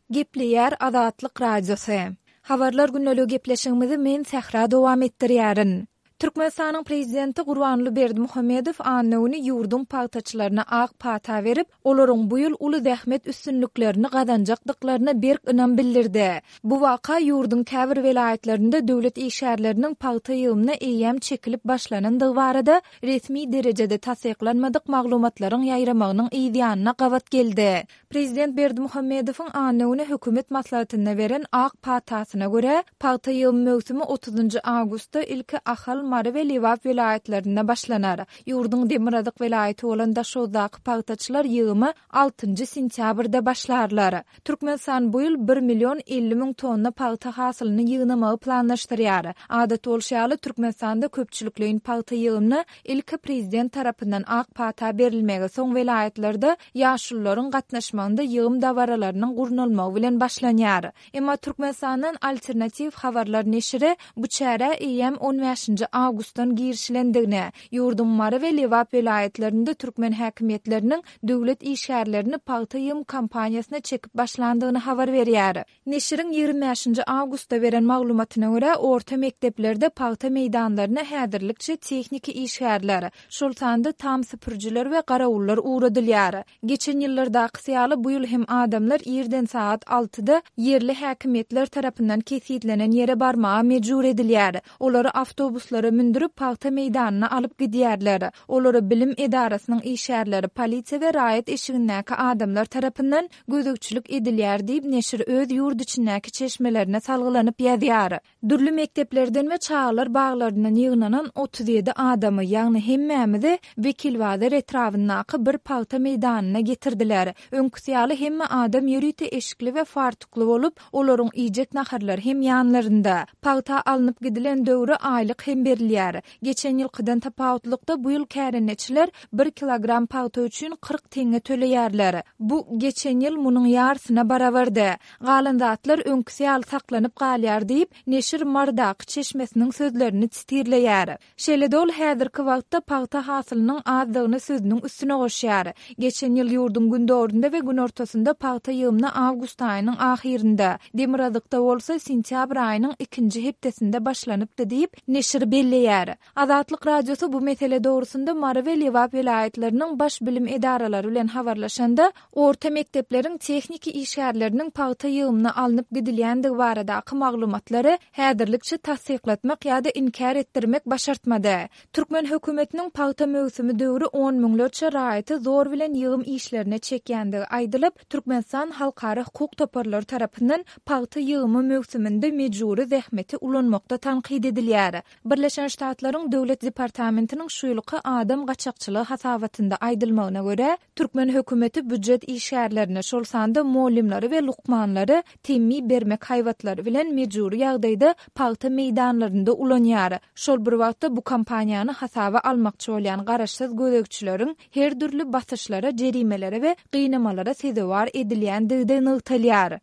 Gepleýär Azatlyk Radiosy. Habarlar gündeligi gepleşigimizi men Sähra dowam etdirýärin. Türkmenistanyň Prezidenti Gurbanguly Berdimuhamedow anna güni ýurduň pagtaçylaryna ak pata berip, olaryň bu ýyl uly zähmet üstünliklerini gazanjakdyklaryna berk ynam bildirdi. Bu waka ýurduň käbir welaýatlarynda döwlet işgärleriniň pagta ýygymyna eýýäm çekilip başlanandygy barada resmi derejede tassyklanmadyk maglumatlaryň ýaýramagynyň yzýanyna gabat geldi. Prezident Berdimuhamedowyň anna güni hökümet maslahatynda beren ak patasyna görä, pagta ýygym möwsümi otuzynjy awgustda ilki Ahal, Mary we Lebap welaýatlarynda başlanar. Ýurduň demirgazyk welaýaty bolan Daşoguzdaky pagtaçylar ýygyma altynjy sentýabrda başlarlar. Türkmenistan bu ýyl bir million 50 müň tonna pagta hasylyny ýygnamagy planlaşdyrýar. Adat bolşy ýaly, Türkmenistanda köpçülikleýin pagta ýygymyna ilki prezident tarapyndan ak pata berilmegi, soň welaýatlarda ýaşulularyň gatnaşmagynda ýygym dabaralarynyň gurnalmagy bilen başlanýar. Emma Türkmenistandan Alternatiw habarlar neşiri bu çärä eýýäm on bäşinji awgustdan girişilendigini, ýurduň Mary we Lebap welaýatlarynda türkmen häkimiýetleriniň döwlet işgärlerini pagta ýygym kampaniýasyna çekip başlandygyny habar berýär. Neşiriň 25 nji awgustda beren maglumatyna görä, orta mekdeplerde pagta meýdanlaryna häzirlikçe tehniki işgärler, şol sanda tam süpürijiler we garawullar ugradylýar. Geçen ýyllardakysy ýaly, bu ýyl hem adamlar irden sagat altyda ýerli häkimiýetler tarapyndan kesgitlenen ýere barmaga mejbur edilýär. Olary awtobuslara mündürip, pagta meýdanyna alyp gidýärler. Olara bilim edarasynyň işgärleri, polisiýa we raýat eşigindäki adamlar tarapyndan gözegçilik edilýär diýip, neşir öz ýurt içindäki çeşmelerine salgylanyp ýazýar. Dürli mekdeplerden we çagalar baglaryndan ýygnanan 37 adamy, ýagny hemmämizi Wekilbazar etrabyndaky bir pagta meýdanyna getirdiler. Öňküsi ýaly hemme adam ýörite eşikli we fartukly bolup, olaryň iýjek naharlary hem ýanlarynda. Pagta alnyp gidilen döwri aýlyk hem berilýär. Geçen ýylkydan tapawutlykda bu ýyl kärendeçiler bir kilogram pagta üçin 40 teňňe töleýärler. Bu, geçen ýyl munuň ýarysyna barabardy. Galan zatlar öňküsi ýaly saklanyp galýar diýip, neşir Marydaky çeşmesiniň sözlerini sitirleýär. Şeýle-de ol häzirki wagtda pagta hasylynyň azdygyny sözüniň üstüne goşýar. Geçen ýyl ýurduň gündogarynda we günortasynda pagta ýygymyna awgust aýynyň ahyrynda, demirgazykda bolsa sentýabr aýynyň ikinji hepdesinde başlanypdy diýip, neşir belleýär. Azatlyk Radiosy bu mesele dogrusynda Mary we Lebap welaýatlarynyň baş bilim edaralary bilen habarlaşanda, orta mekdepleriň tehniki işgärleriniň pagta ýygymyna alnyp gidilýändigi baradaky maglumatlary häzirlikçe tassyklatmak ýa-da inkär etdirmek başartmady. Türkmen hökümetiniň pagta möwsümi döwri on müňlerçe raýaty zor bilen ýygym işlerine çekýändigi aýdylyp, Türkmenistan halkara hukuk toparlary tarapyndan pagta ýygymy möwsüminde mejbury zähmeti ulanmakda tankyt edilýär. Birleşen Ştatlaryň Döwlet departamentiniň şu ýylky adam gaçakçylygy hasabatynda aýdylmagyna görä, türkmen hökümeti býujet işgärlerini, şol sanda mugallymlary we lukmanlary temmi bermek haýbatlary bilen mejbury ýagdaýda pagta meýdanlarynda ulanýar. Şol bir wagtda bu kampaniýany hasaba almakçy bolýan garaşsyz gözegçileriň her dürli basyşlara, jerimelere we gynamalara sezewar edilýändigi-de nygtalýar.